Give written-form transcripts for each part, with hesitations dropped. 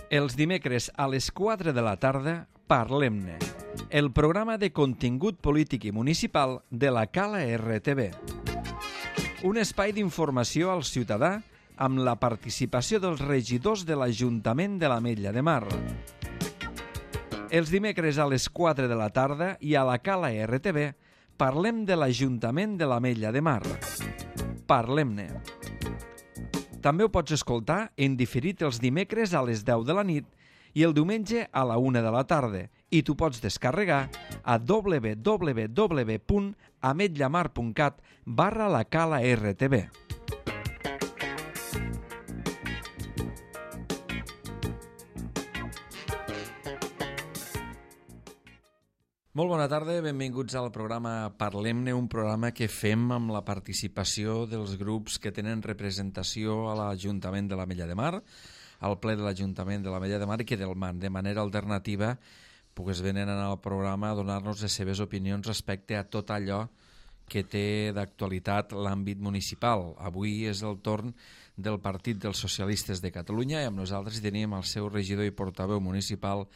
Els dimecres a les 4 de la tarda, Parlem-ne, el programa de contingut polític i municipal de la Cala RTV. Un espai d'informació al ciutadà amb la participació dels regidors de l'Ajuntament de l'Ametlla de Mar. Els dimecres a les 4 de la tarda i a la Cala RTV parlem de l'Ajuntament de l'Ametlla de Mar. Parlem-ne. També ho pots escoltar en diferit els dimecres a les 10 de la nit i el diumenge a la 1 de la tarda i t'ho pots descarregar a www.ametllamar.cat/la-cala-rtv. Molt bona tarda, benvinguts al programa Parlem-ne, un programa que fem amb la participació dels grups que tenen representació a l'Ajuntament de l'Ametlla de Mar, al ple de l'Ajuntament de l'Ametlla de Mar i que de manera alternativa venen al programa a donar-nos les seves opinions respecte a tot allò que té d'actualitat l'àmbit municipal. Avui és el torn del Partit dels Socialistes de Catalunya i amb nosaltres tenim el seu regidor i portaveu municipal,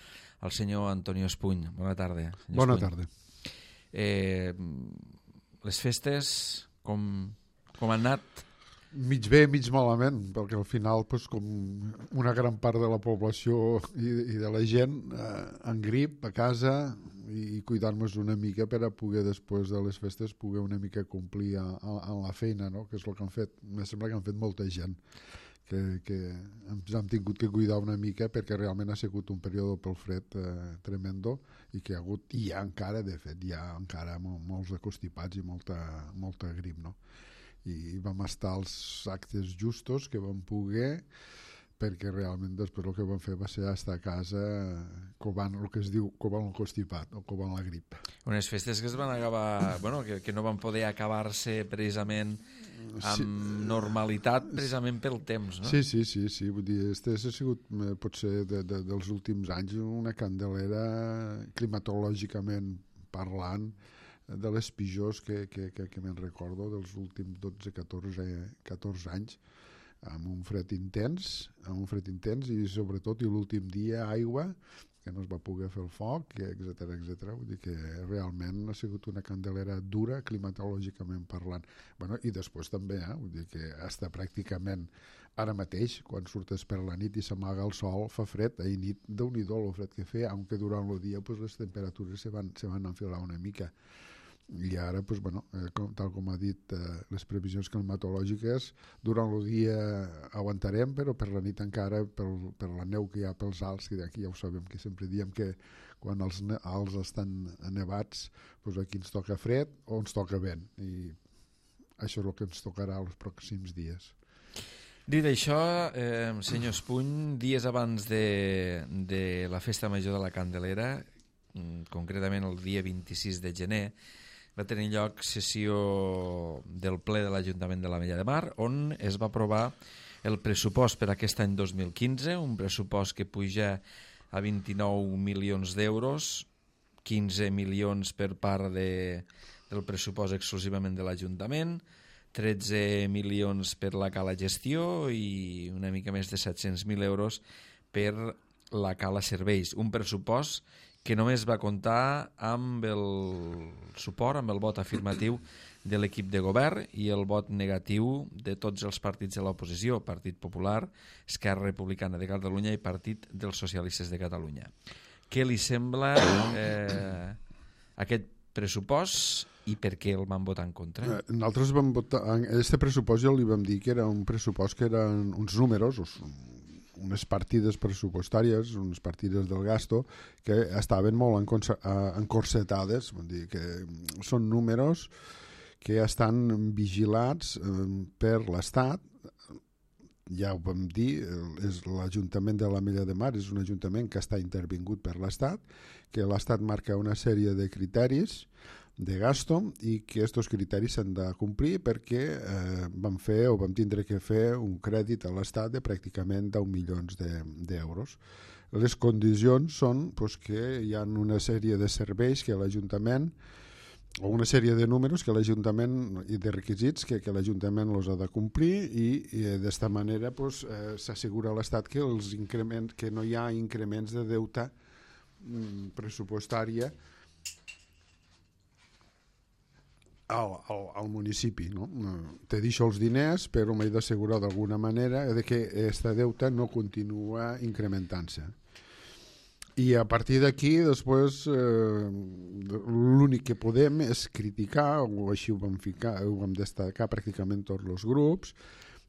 el senyor Antonio Espuny. Bona tarda. Bona tarda. Les festes, com han anat? Mig bé, mig malament, perquè al final, com una gran part de la població i de la gent en grip a casa i cuidar-nos una mica per a poder, després de les festes, poder una mica complir en la feina, no? Que és el que han fet. Em sembla que han fet molta gent, que ens hem tingut que cuidar una mica perquè realment ha sigut un període pel fred tremendo i que hi ha hagut, i hi ha encara, de fet, hi ha encara molts acostipats i molta grip, no? I vam estar als actes justos que vam poder, perquè realment després el que vam fer va ser estar a casa covant el que es diu covant el constipat o covant la grip. Unes festes que es van acabar, que no van poder acabar-se precisament amb normalitat, precisament pel temps, no? Sí. Vull dir, este ha sigut, potser, dels últims anys una candelera climatològicament parlant de les pitjors que me'n recordo dels últims 12-14 anys, amb un fred intens i sobretot l'últim dia aigua, que no es va poder fer el foc, etcètera. Vull dir que realment ha sigut una candelera dura climatològicament parlant. I després també, vull dir que està pràcticament ara mateix, quan surtes per la nit i s'amaga el sol, fa fred, ahir nit, Déu-n'hi-do el fred que feia, aunque durant el dia les temperatures se van enfilar una mica. I ara, tal com ha dit, les previsions climatològiques, durant el dia aguantarem, però per la nit encara, per la neu que hi ha pels alts, que d'aquí ja ho sabem, que sempre diem que quan els alts estan nevats, aquí ens toca fred o ens toca vent, i això és el que ens tocarà els pròxims dies. Dit això, senyor Espuny, dies abans de la Festa Major de la Candelera, concretament el dia 26 de gener, va tenir lloc sessió del ple de l'Ajuntament de l'Ametlla de Mar, on es va aprovar el pressupost per aquest any 2015, un pressupost que puja a 29 milions d'euros, 15 milions per part del pressupost exclusivament de l'Ajuntament, 13 milions per la Cala Gestió i una mica més de 700.000 euros per la Cala Serveis. Un pressupost que només va comptar amb el suport, amb el vot afirmatiu de l'equip de govern i el vot negatiu de tots els partits de l'oposició, Partit Popular, Esquerra Republicana de Catalunya i Partit dels Socialistes de Catalunya. Què li sembla aquest pressupost i per què el van votar en contra? Nosaltres vam votar, aquest pressupost ja li vam dir que era un pressupost que eren uns números, unes partides pressupostàries, unes partides del gasto, que estaven molt encorsetades, vull dir que són números que estan vigilats per l'Estat. Ja ho vam dir, l'Ajuntament de l'Ametlla de Mar és un ajuntament que està intervingut per l'Estat, que l'Estat marca una sèrie de criteris de gasto i que aquests criteris s'han de complir perquè vam tindre que fer un crèdit a l'Estat de pràcticament 10 milions d'euros. Les condicions són que hi ha una sèrie de serveis que l'Ajuntament o una sèrie de números que l'Ajuntament i de requisits que l'Ajuntament els ha de complir i d'esta manera pues, s'assegura a l'Estat que que no hi ha increments de deute pressupostària al municipi, no? Te deixo els diners, però m'he d'assegurar d'alguna manera de que aquesta deuta no continua incrementant-se. I a partir d'aquí, després, l'únic que podem és criticar, o així ho vam destacar pràcticament tots els grups,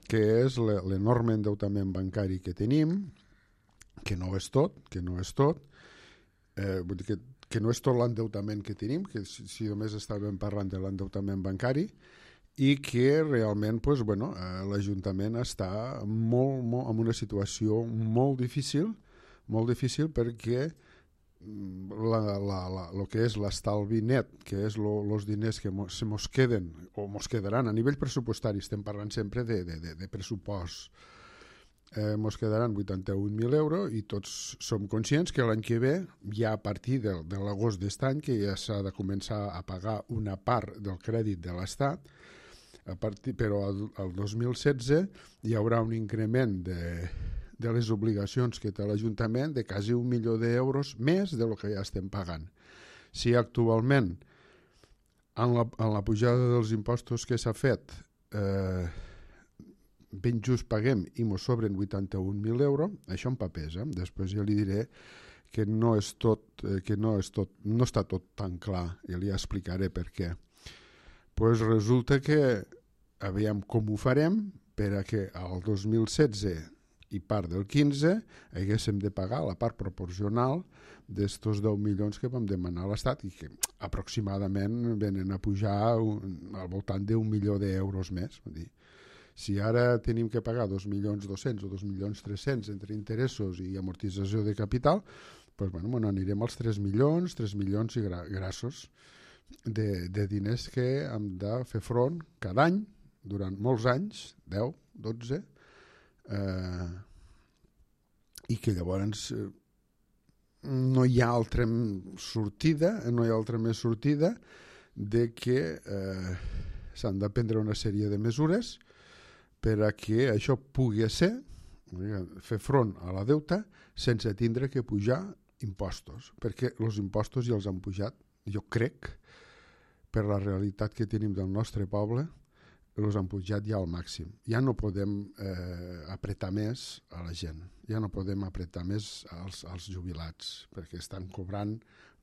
que és l'enorme endeutament bancari que tenim, que no és tot, vull dir que no és tot l'endeutament que tenim, que si només estàvem parlant de l'endeutament bancari, i que realment pues, bueno, l'Ajuntament està en una situació molt difícil perquè el que és l'estalvi net, que és els diners que se mos queden o mos quedaran a nivell pressupostari, estem parlant sempre de pressupost, mos quedaran 81.000 euros i tots som conscients que l'any que ve, ja a partir de l'agost d'aquest any, que ja s'ha de començar a pagar una part del crèdit de l'Estat, però el 2016 hi haurà un increment de les obligacions que té l'Ajuntament de quasi 1 milió d'euros més del que ja estem pagant. Si actualment en la pujada dels impostos que s'ha fet ben just paguem i mos sobren 81.000 euros, això en papers, després ja li diré que no està tot tan clar i li explicaré per què. Pues resulta que aviam com ho farem per a que al 2016 i part del 15 haguéssim de pagar la part proporcional d'estos 10 milions que vam demanar a l'Estat i que aproximadament venen a pujar al voltant d'1 milió d'euros més. Vull dir, si ara tenim que pagar 2.200.000 o 2.300.000 entre interessos i amortització de capital, doncs bueno, anirem als 3 milions i grassos de diners que hem de fer front cada any durant molts anys, 10, 12, i que llavors no hi ha altra sortida, més sortida de que s'han de prendre una sèrie de mesures per a que això pugui ser, fer front a la deuta sense tindre que pujar impostos, perquè els impostos ja els han pujat, jo crec, per la realitat que tenim del nostre poble, els han pujat ja al màxim. Ja no podem apretar més a la gent, ja no podem apretar més als jubilats, perquè estan cobrant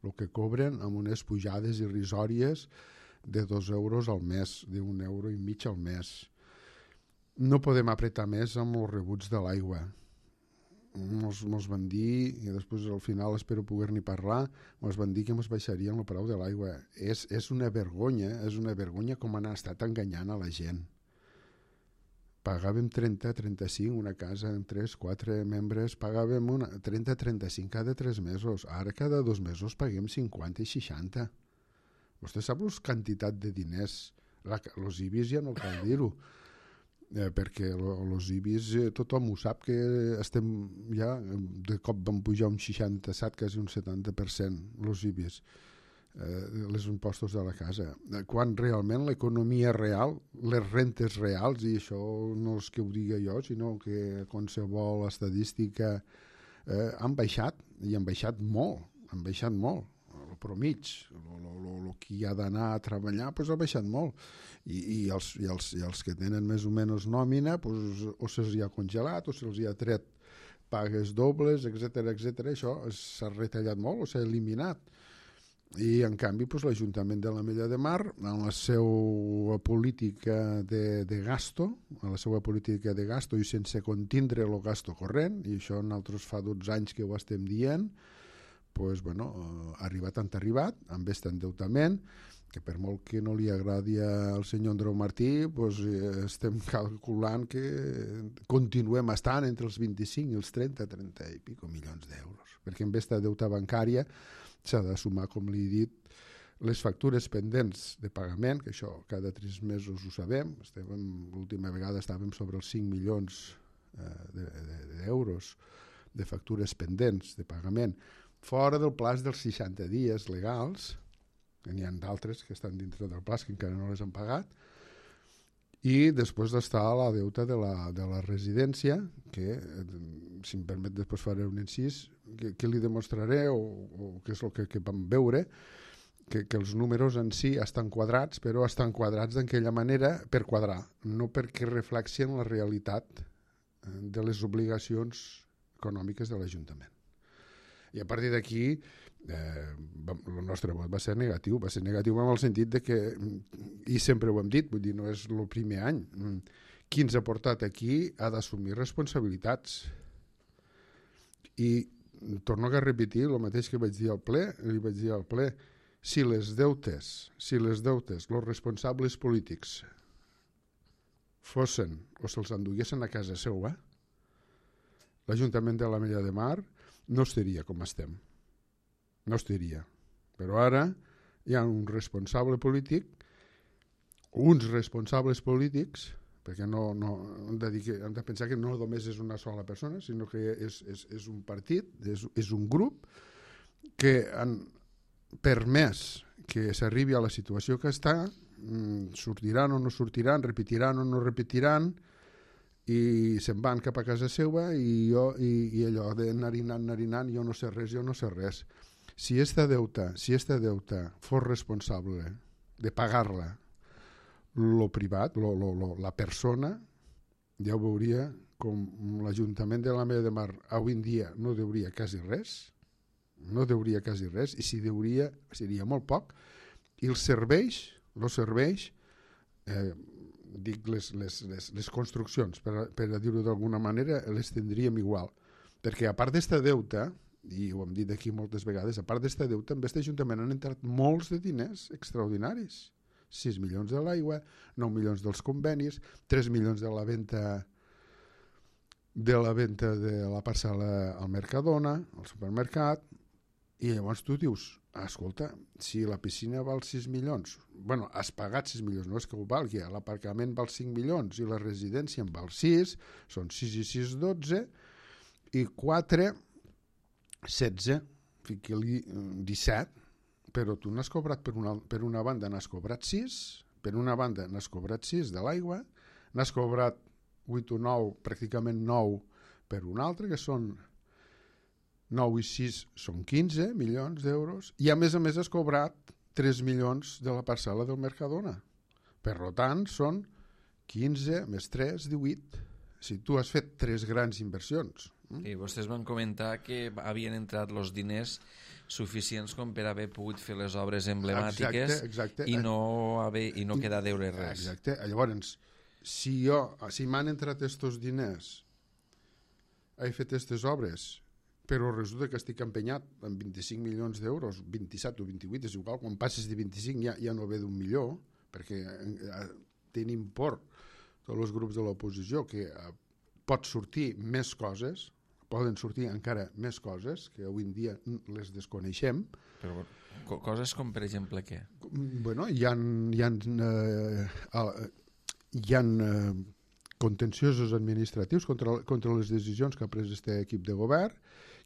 el que cobren amb unes pujades irrisòries de 2 euros al mes, d'1,5 euros al mes. No podem apretar més amb els rebuts de l'aigua. Mos van dir, i després al final espero poder-n'hi parlar, mos van dir que mos baixarien el preu de l'aigua. És una vergonya com han estat enganyant a la gent. Pagàvem 30-35, una casa amb 3-4 membres, pagàvem 30-35 cada 3 mesos. Ara cada 2 mesos paguem 50 i 60. Vostè sap la quantitat de diners? Els IBIs ja no cal dir-ho. Perquè els IBIs tothom ho sap que estem ja de cop van pujar un 67, quasi un 70% els IBIs, els impostos de la casa, quan realment l'economia real, les rentes reals, i això no és que ho digui jo, sinó que qualsevol estadística han baixat, i han baixat molt, el promig, el que ha d'anar a treballar ha baixat molt, i els que tenen més o menys nòmina o se'ls ha congelat o se'ls ha tret pagues dobles, etc. Això s'ha retallat molt o s'ha eliminat, i en canvi l'Ajuntament de l'Ametlla de Mar, en la seva política de gasto, i sense contindre el gasto corrent, i això nosaltres fa 12 anys que ho estem dient, ha arribat, amb aquest endeutament, que per molt que no li agradi al senyor Andreu Martí, estem calculant que continuem estant entre els 25 i els 30 i pico milions d'euros, perquè amb aquesta deuta bancària s'ha de sumar, com li he dit, les factures pendents de pagament, que això cada 3 mesos ho sabem, l'última vegada estàvem sobre els 5 milions d'euros de factures pendents de pagament, fora del plaç dels 60 dies legals, N'hi ha d'altres que estan dintre del pla que encara no les han pagat, i després està la deuta de la residència, que, si em permet, després faré un incís, que li demostraré, o que és el que vam veure, que els números en si estan quadrats, però estan quadrats d'aquella manera per quadrar, no perquè reflexien la realitat de les obligacions econòmiques de l'Ajuntament. I a partir d'aquí el nostre vot va ser negatiu en el sentit de que, i sempre ho hem dit, vull dir, no és el primer any, qui ens ha portat aquí ha d'assumir responsabilitats. I torno a repetir el mateix que vaig dir al ple, si les deutes, els responsables polítics fossin o se'ls enduguessin a casa seva, l'Ajuntament de l'Ametlla de Mar no estaria com estem. No estaria. Però ara hi ha un responsable polític, uns responsables polítics, perquè no hem de pensar que no només és una sola persona, sinó que és un partit, és un grup que han permès que s'arribi a la situació que està, sortiran o no sortiran, repetiran o no repetiran, i se'n van cap a casa seva i allò de narinant, jo no sé res. Si esta deuta fos responsable de pagar-la lo privat, la persona, ja ho veuria com l'Ajuntament de l'Ametlla de Mar avui en dia no deuria quasi res, i si deuria seria molt poc, i els serveis, dic les construccions, per a dir-ho d'alguna manera, les tindríem igual, perquè a part d'esta deuta, i ho hem dit aquí moltes vegades, a part d'esta deuta, amb aquest Ajuntament han entrat molts de diners extraordinaris, 6 milions de l'aigua, 9 milions dels convenis, 3 milions de la venda de la parcel·la al Mercadona, al supermercat, i llavors tu dius, escolta, si la piscina val 6 milions, bueno, has pagat 6 milions, no és que ho valgui, l'aparcament val 5 milions i la residència en val 6, són 6 i 6, 12, i 4, 16, fiqui-li 17, però tu n'has cobrat per una banda, n'has cobrat 6, per una banda n'has cobrat 6 de l'aigua, n'has cobrat 8 o 9, pràcticament 9 per un altre, que són 9 i 6 són 15 milions d'euros, i a més has cobrat 3 milions de la parcel·la del Mercadona. Per tant, són 15 més 3, 18. Si tu has fet 3 grans inversions. I vostès van comentar que havien entrat els diners suficients com per haver pogut fer les obres emblemàtiques. Exacte. I no quedar a deure res. Exacte. Llavors, si m'han entrat estos diners, he fet aquestes obres, però resulta que estic empenyat amb 25 milions d'euros, 27 o 28, és igual, quan passes de 25 ja no ve d'un milió, perquè tenim por tots els grups de l'oposició que pot sortir més coses, poden sortir encara més coses, que avui en dia les desconeixem. Però coses com, per exemple, què? Bueno, hi ha contenciosos administratius contra les decisions que ha pres aquest equip de govern,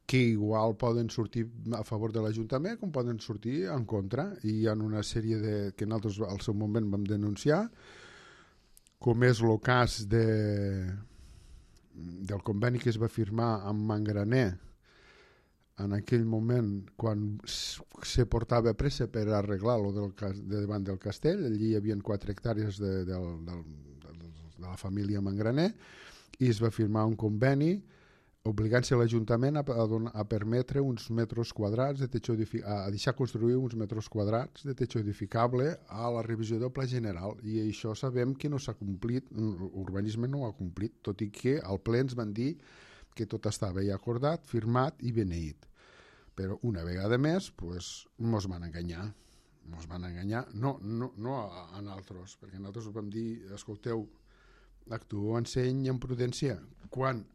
que igual poden sortir a favor de l'Ajuntament com poden sortir en contra, i hi ha una sèrie que nosaltres al seu moment vam denunciar, com és el cas del conveni que es va firmar amb Mangraner en aquell moment quan se portava pressa per arreglar-lo de davant del castell. Allí hi havia 4 hectàrees de la família Mangraner, i es va firmar un conveni obligant-se a l'Ajuntament a permetre uns metres quadrats de techo a deixar construir uns metres quadrats de techo edificable a la revisió del Pla General, i això sabem que no s'ha complit, l'urbanisme no ho ha complit, tot i que al ple ens van dir que tot estava ja acordat, firmat i beneït. Però una vegada més mos van enganyar. No a nosaltres, perquè nosaltres vam dir, escolteu, actuo en seny i en prudència. Quan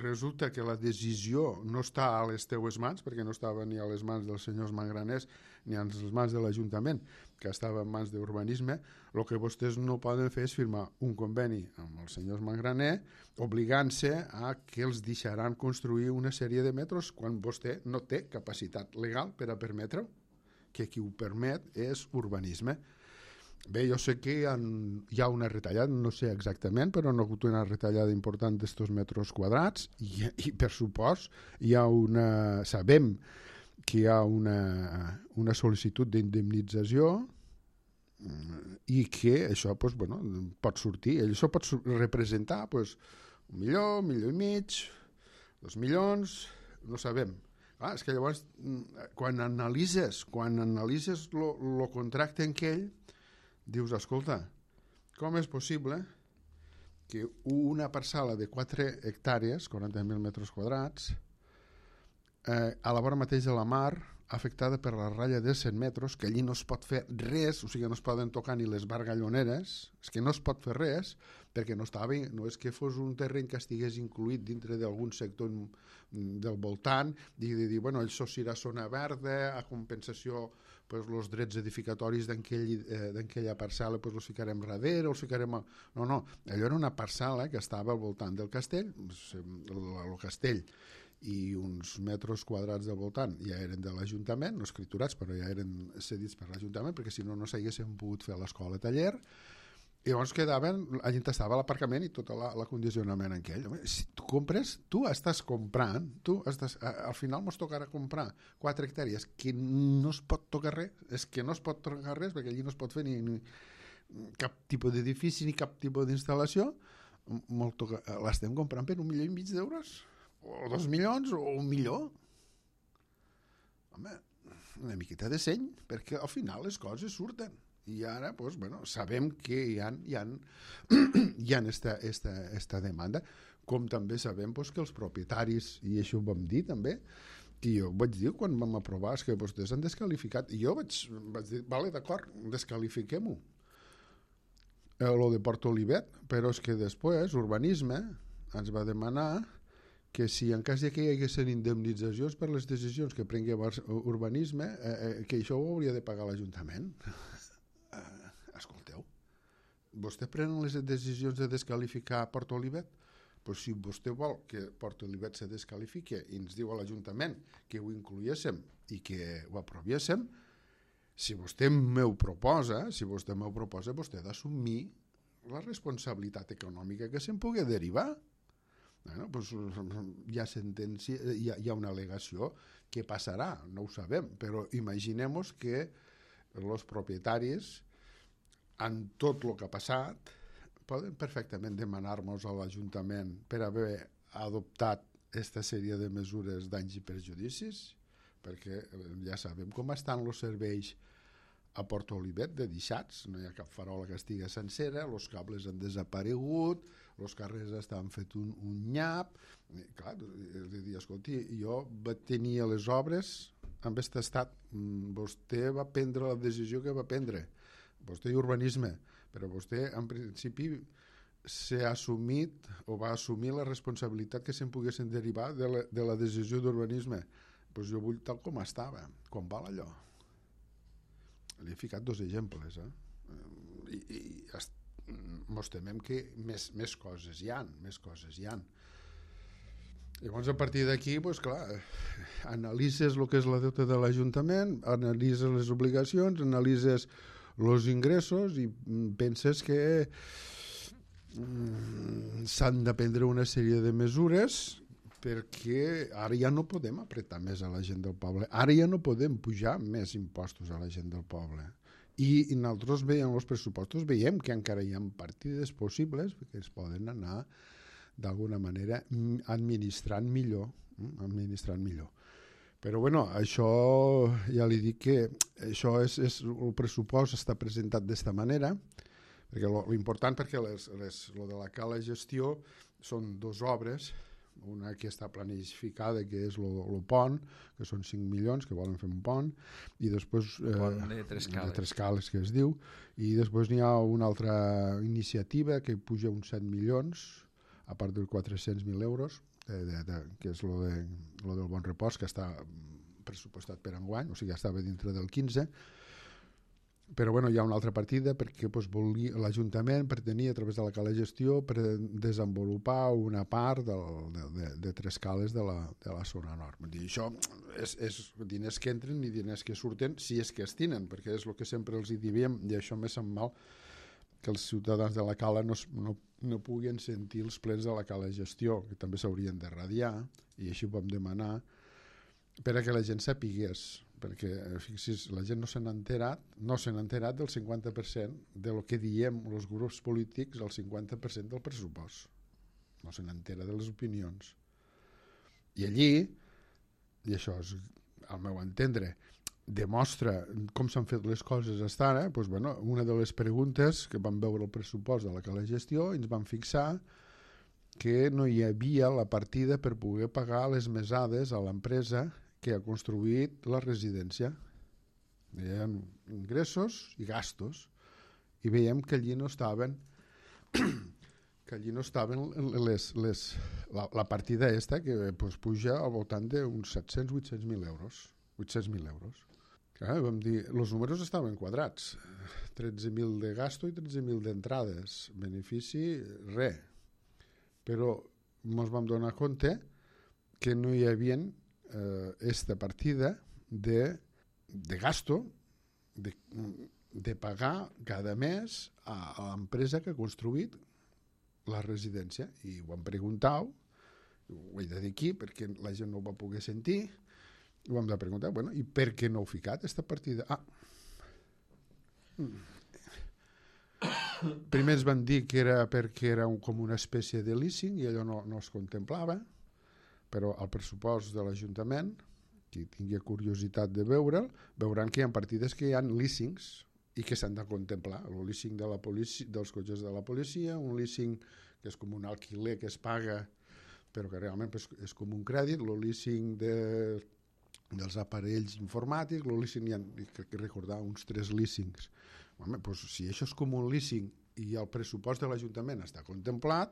resulta que la decisió no està a les teues mans, perquè no estava ni a les mans dels senyors Mangraners ni a les mans de l'Ajuntament, que estava en mans d'urbanisme, el que vostès no poden fer és firmar un conveni amb els senyors Mangraner obligant-se a que els deixaran construir una sèrie de metres quan vostè no té capacitat legal per a permetre-ho. que qui ho permet és urbanisme. Bé, jo sé que hi ha una retallada, no sé exactament, però no ha hagut una retallada important d'estos metres quadrats i per supost sabem que hi ha una sol·licitud d'indemnització i que això pot sortir. Això pot representar 1 milió, 1,5 milions, 2 milions, no sabem. És que llavors, quan analitzes el contracte en aquell, dius, escolta, com és possible que una parcel·la de 4 hectàrees, 40.000 metres quadrats, a la vora mateix de la mar, afectada per la ratlla de 100 metres, que allí no es pot fer res, o sigui, no es poden tocar ni les bargalloneres, és que no es pot fer res, perquè no és que fos un terreny que estigués incluït dintre d'algun sector del voltant, i de dir, això serà zona verda, a compensació, els drets edificatoris d'aquella parcel·la els ficarem darrere, els ficarem... No, allò era una parcel·la que estava al voltant del castell, el castell, i uns metres quadrats del voltant ja eren de l'Ajuntament, no escriturats, però ja eren cedits per l'Ajuntament, perquè si no, no s'haguessin pogut fer l'escola taller. I llavors la gent estava a l'aparcament i tot l'acondicionament en aquell. Si tu compres, tu estàs comprant, al final ens tocarà comprar 4 hectàrees que no es pot tocar res, perquè allí no es pot fer ni cap tipus d'edifici ni cap tipus d'instal·lació, l'estem comprant per 1,5 milions d'euros, o 2 milions, o 1 milió. Home, una miqueta de seny, perquè al final les coses surten. I ara sabem que hi ha esta demanda, com també sabem que els propietaris, i això ho vam dir també, i jo vaig dir quan vam aprovar que vostès han descalificat, i jo vaig dir, vale, d'acord, descalifiquem-ho, lo de Port Olivet, però és que després Urbanisme ens va demanar que si en cas que hi haguessin indemnitzacions per les decisions que prengui Urbanisme, que això ho hauria de pagar l'Ajuntament. Escolteu, vostè prenen les decisions de descalificar Port Olivet? Pues si vostè vol que Port Olivet se descalifique i ens diu a l'Ajuntament que ho incluíssim i que ho aproviéssim, si vostè m'ho proposa, vostè ha d'assumir la responsabilitat econòmica que se'n pugui derivar. Hi ha sentència, hi ha una al·legació, què passarà? No ho sabem, però imaginem-nos que els propietaris, en tot el que ha passat, poden perfectament demanar-nos a l'Ajuntament per haver adoptat aquesta sèrie de mesures danys i perjudicis, perquè ja sabem com estan els serveis a Port Olivet de deixats, no hi ha cap farola que estigui sencera, els cables han desaparegut, els carrers estan fet un nyap. Clar, de dir, escolti, jo vaig tenir les obres amb aquest estat, vostè va prendre la decisió que va prendre, vostè i Urbanisme, però vostè en principi s'ha assumit o va assumir la responsabilitat que se'n poguessin derivar de la decisió d'Urbanisme. Doncs jo vull tal com estava. Com val allò? Li he ficat 2 exemples, i mos temem que més coses hi han, Llavors, a partir d'aquí, clar, analitzes el que és la deuta de l'Ajuntament, analitzes les obligacions, analitzes els ingressos i penses que s'han de prendre una sèrie de mesures perquè ara ja no podem apretar més a la gent del poble, ara ja no podem pujar més impostos a la gent del poble. I nosaltres veiem els pressupostos, veiem que encara hi ha partides possibles que es poden anar d'alguna manera administrant millor. Però això ja li dic que això el pressupost està presentat d'esta manera, perquè l'important, perquè lo de la cala gestió són 2 obres, una que està planificada, que és el pont, que són 5 milions, que volen fer un pont, i després de 3 cales, que es diu, i després n'hi ha una altra iniciativa que puja uns 7 milions, a part dels 400.000 euros, que és lo del Bon Repòs, que està pressupostat per enguany, o sigui, estava dintre del 15, però bueno, hi ha una altra partida perquè l'Ajuntament pretenia a través de la cala de gestió per desenvolupar una part de 3 cales de la zona nord. Vull dir, això és diners que entren i diners que surten, si és que es tenen, perquè és el que sempre els hi diem, i això me sap mal, que els ciutadans de la cala no puguin sentir els plens de la cala de gestió, que també s'haurien de radiar, i així ho vam demanar, per a que la gent sapigués, perquè fixis, la gent no se n'ha enterat del 50% del que diem els grups polítics, el 50% del pressupost. No se n'entera de les opinions. I allí, i això és al meu entendre, demostra com s'han fet les coses fins ara, doncs, bueno, una de les preguntes que vam veure el pressupost de la cala de gestió ens vam fixar que no hi havia la partida per poder pagar les mesades a l'empresa que ha construït la residència. Hi ha ingressos i gastos, i veiem que allí no estaven la partida esta que pues, puja al voltant d'uns 700-800.000 euros. 800.000 euros. Clar, vam dir, els números estaven quadrats. 13.000 de gasto i 13.000 d'entrades. Benefici, res. Però ens vam donar compte que no hi havia esta partida de gasto de pagar cada mes a l'empresa que ha construït la residència. I ho vam preguntar, ho he de dir aquí perquè la gent no ho va poder sentir, i ho hem de preguntar, bueno, i per què no heu ficat aquesta partida? Primer ens van dir que era perquè era com una espècie de leasing i allò no es contemplava, però al pressupost de l'Ajuntament, qui tingui curiositat de veure'l, veuran que hi ha partides que hi ha leasings i que s'han de contemplar. El leasing de la policia, dels cotxes de la policia, un leasing que és com un alquiler que es paga però que realment és com un crèdit, el leasing dels aparells informàtics, el leasing, crec que recordar uns 3 leasings. Home, doncs, si això és com un leasing i el pressupost de l'Ajuntament està contemplat,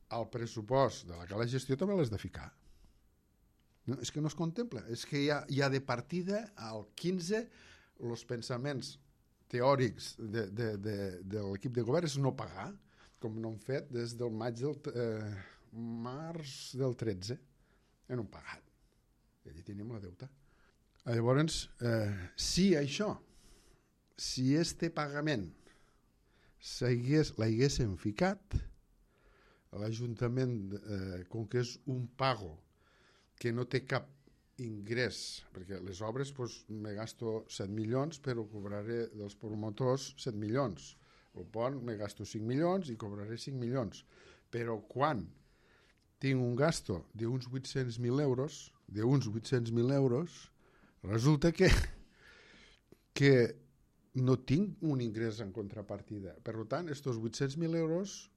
el pressupost de la cala de gestió també l'has de ficar. No, és que no es contempla, és que hi ha de partida al 15 els pensaments teòrics de l'equip de govern és no pagar, com no han fet des del març del 13, no han pagat. I allí tenim la deuta. Llavors, si este pagament l'haguessin ficat, l'Ajuntament, com que és un pago que no té cap ingrés, perquè les obres me gasto 7 milions però cobraré dels promotors 7 milions, el pont me gasto 5 milions i cobraré 5 milions, però quan tinc un gasto d'uns 800.000 euros, resulta que no tinc un ingrés en contrapartida. Per tant, estos 800.000 euros,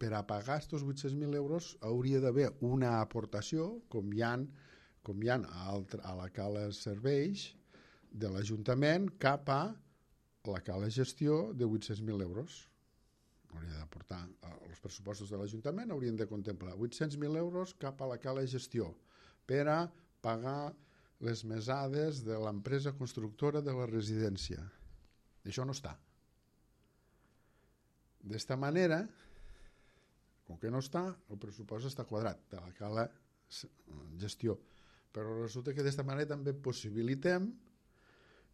per a pagar estos 800.000 euros hauria d'haver una aportació, com hi ha a la cala serveis de l'Ajuntament cap a la cala gestió de 800.000 euros. Hauria d'aportar els pressupostos de l'Ajuntament, haurien de contemplar 800.000 euros cap a la cala gestió per a pagar les mesades de l'empresa constructora de la residència. Això no està. D'esta manera, com que no està, el pressupost està quadrat de la cala gestió. Però resulta que d'esta manera també possibilitem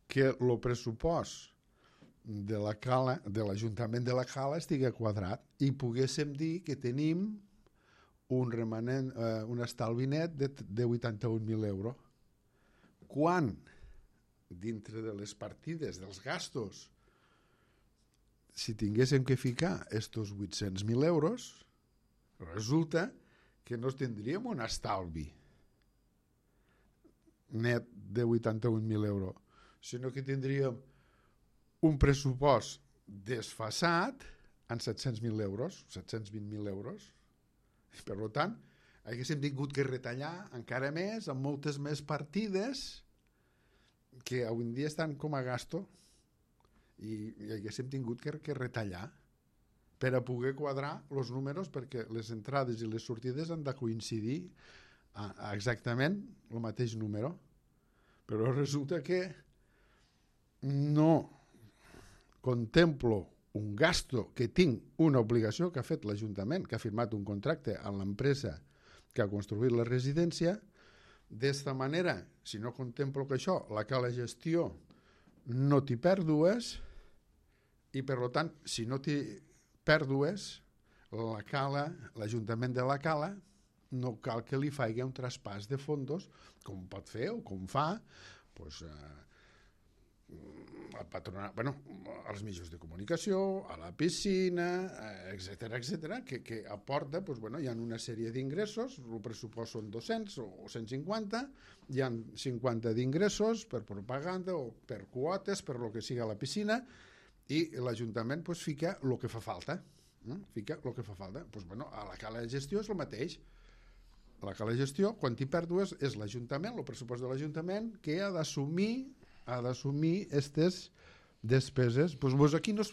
que el pressupost de l'Ajuntament de la Cala estigui quadrat i poguéssim dir que tenim un estalvi net de 81.000 euros. Quan dintre de les partides dels gastos, si tinguéssim que ficar estos 800.000 euros, resulta que no tindríem un estalvi net de 81.000 euros, sinó que tindríem un pressupost desfasat en 700.000 euros, 720.000 euros. Per tant, haguéssim tingut que retallar encara més, amb moltes més partides que avui en dia estan com a gasto, i haguéssim tingut que retallar per a poder quadrar els números, perquè les entrades i les sortides han de coincidir exactament el mateix número. Però resulta que no contemplo un gasto que tinc, una obligació que ha fet l'Ajuntament, que ha firmat un contracte amb l'empresa que ha construït la residència. D'esta manera, si no contemplo que això, la cala gestió no té pèrdues i, per tant, si no té pèrdues, la cala, l'Ajuntament de la Cala, no cal que li faci un traspàs de fondos, com pot fer o com fa, doncs, al patronat, als mitjans de comunicació, a la piscina, etc., que aporta, hi ha una sèrie d'ingressos, el pressupost són 200 o 150, hi ha 50 d'ingressos per propaganda o per quotes, per lo que sigui a la piscina, i l'Ajuntament fica el que fa falta. A la cala de gestió és el mateix. A la cala de gestió, quan hi pèrdues, és l'Ajuntament, el pressupost de l'Ajuntament, que ha d'assumir aquestes despeses.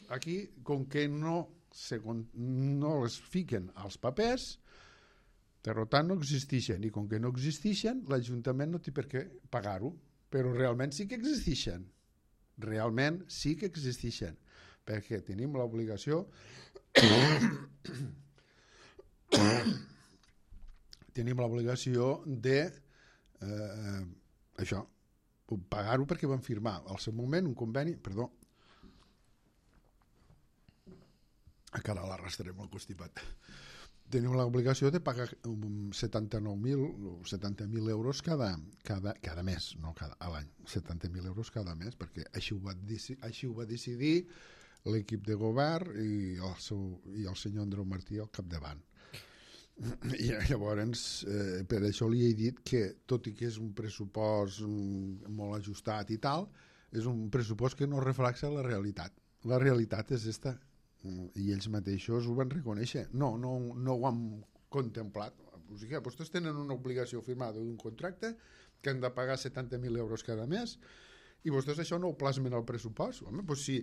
Aquí, com que no les fiquen als papers, per tant no existeixen, i com que no existeixen, l'Ajuntament no té per què pagar-ho, però realment sí que existeixen. Perquè tenim l'obligació de això, pagar-ho, perquè van firmar al seu moment un conveni, encara l'arrastrem el constipat, tenim l'obligació de pagar 79.000 o 70.000 euros cada mes, no a l'any, 70.000 euros cada mes, perquè així ho va decidir l'equip de govern i el senyor Andreu Martí al capdavant. I llavors, per això li he dit que, tot i que és un pressupost molt ajustat i tal, és un pressupost que no reflexa la realitat. La realitat és esta, i ells mateixos ho van reconèixer. No ho han contemplat. O sigui, vostès tenen una obligació firmada d'un contracte que han de pagar 70.000 euros cada mes i vostès això no ho plasmen al pressupost. Home, doncs si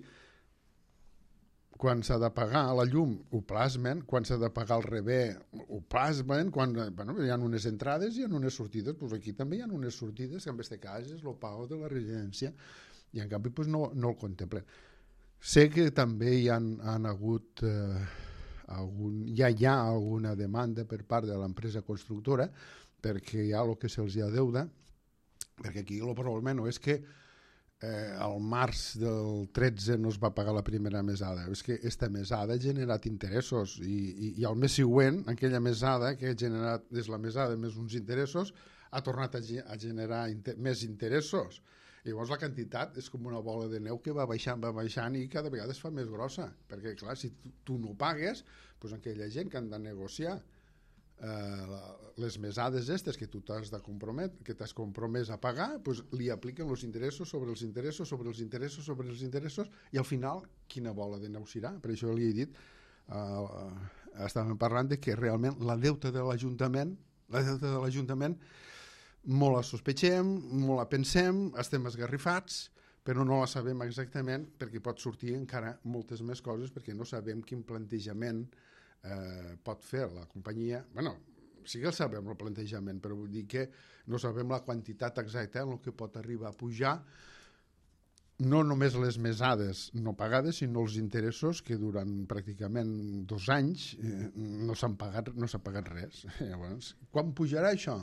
quan s'ha de pagar la llum ho plasmen, quan s'ha de pagar el rebé ho plasmen, quan hi ha unes entrades i hi ha unes sortides, doncs aquí també hi ha unes sortides, que en este cas és el pago de la residència, i en canvi no el contemplen. Sé que també hi ha hagut ja hi ha alguna demanda per part de l'empresa constructora perquè hi ha el que se'ls ha deuda, perquè aquí el problema no és que al març del 13 no es va pagar la primera mesada, és que aquesta mesada ha generat interessos i al mes següent aquella mesada que ha generat des la mesada més uns interessos ha tornat a generar més interessos. I llavors la quantitat és com una bola de neu que va baixant i cada vegada es fa més grossa, perquè clar, si tu no pagues, doncs aquella gent que han de negociar les mesades aquestes que tu t'has de comprometre, que t'has compromès a pagar, doncs li apliquen els interessos sobre els interessos sobre els interessos sobre els interessos i al final quina bola de neu serà. Per això li he dit, estàvem parlant de que realment la deuta de l'Ajuntament molt la sospechem, molt la pensem, estem esgarrifats, però no la sabem exactament perquè pot sortir encara moltes més coses, perquè no sabem quin plantejament pot fer la companyia. Sí que el sabem el plantejament, però vull dir que no sabem la quantitat exacta en el que pot arribar a pujar, no només les mesades no pagades, sinó els interessos que durant pràcticament 2 anys no s'ha pagat res. Llavors, quan pujarà això?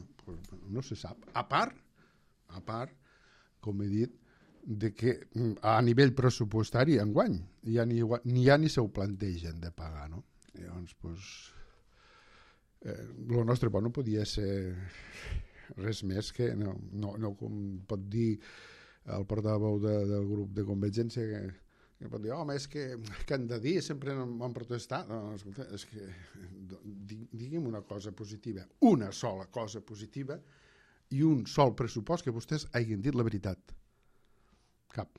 No se sap. A part, com he dit, de que a nivell pressupostari enguany ni se ho plantegen de pagar, no? Llavors, el nostre no podia ser res més que no com pot dir el portaveu del grup de Convergència que pot dir, home, és que han de dir, sempre han protestat. No, escolta, és que digui'm una cosa positiva, una sola cosa positiva i un sol pressupost que vostès hagin dit la veritat. Cap.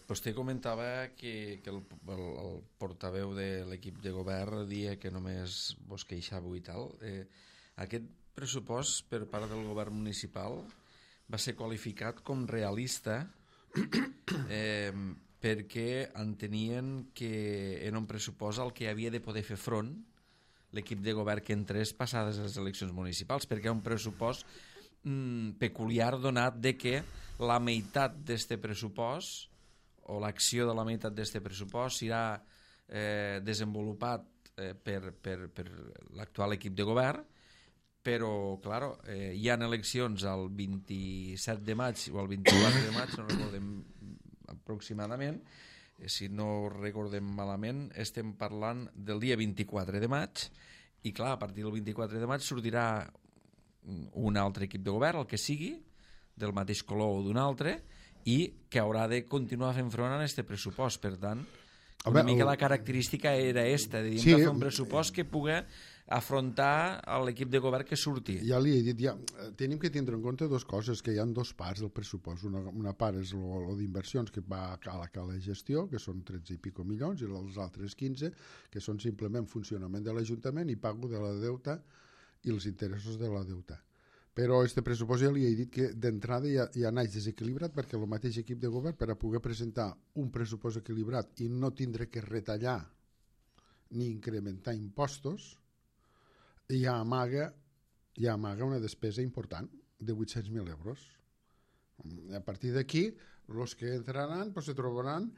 Vostè comentava que el portaveu de l'equip de govern dia que només vos queixàveu i tal. Aquest pressupost per part del govern municipal va ser qualificat com realista perquè entenien que era un pressupost al que havia de poder fer front l'equip de govern que entrés passades les eleccions municipals, perquè era un pressupost peculiar donat de que la meitat d'este pressupost o l'acció de la meitat d'aquest pressupost serà desenvolupat per l'actual equip de govern, però, clar, hi ha eleccions el 27 de maig o el 24 de maig, no recordem aproximadament, si no recordem malament, estem parlant del dia 24 de maig, i clar, a partir del 24 de maig sortirà un altre equip de govern, el que sigui, del mateix color o d'un altre, i que haurà de continuar fent front a aquest pressupost. Per tant, una mica la característica era esta, de fer un pressupost que pugui afrontar l'equip de govern que surti. Ja li he dit, tenim que tindre en compte dues coses, que hi ha dues parts del pressupost. Una part és el d'inversions que va a la gestió, que són 13 i pico milions, i els altres 15, que són simplement funcionament de l'Ajuntament i pago de la deuta i els interessos de la deuta. Però aquest pressupost ja li he dit que d'entrada ja naix desequilibrat, perquè el mateix equip de govern, per a poder presentar un pressupost equilibrat i no tindre que retallar ni incrementar impostos, ja amaga una despesa important de 800.000 euros. A partir d'aquí, els que entraran se trobaran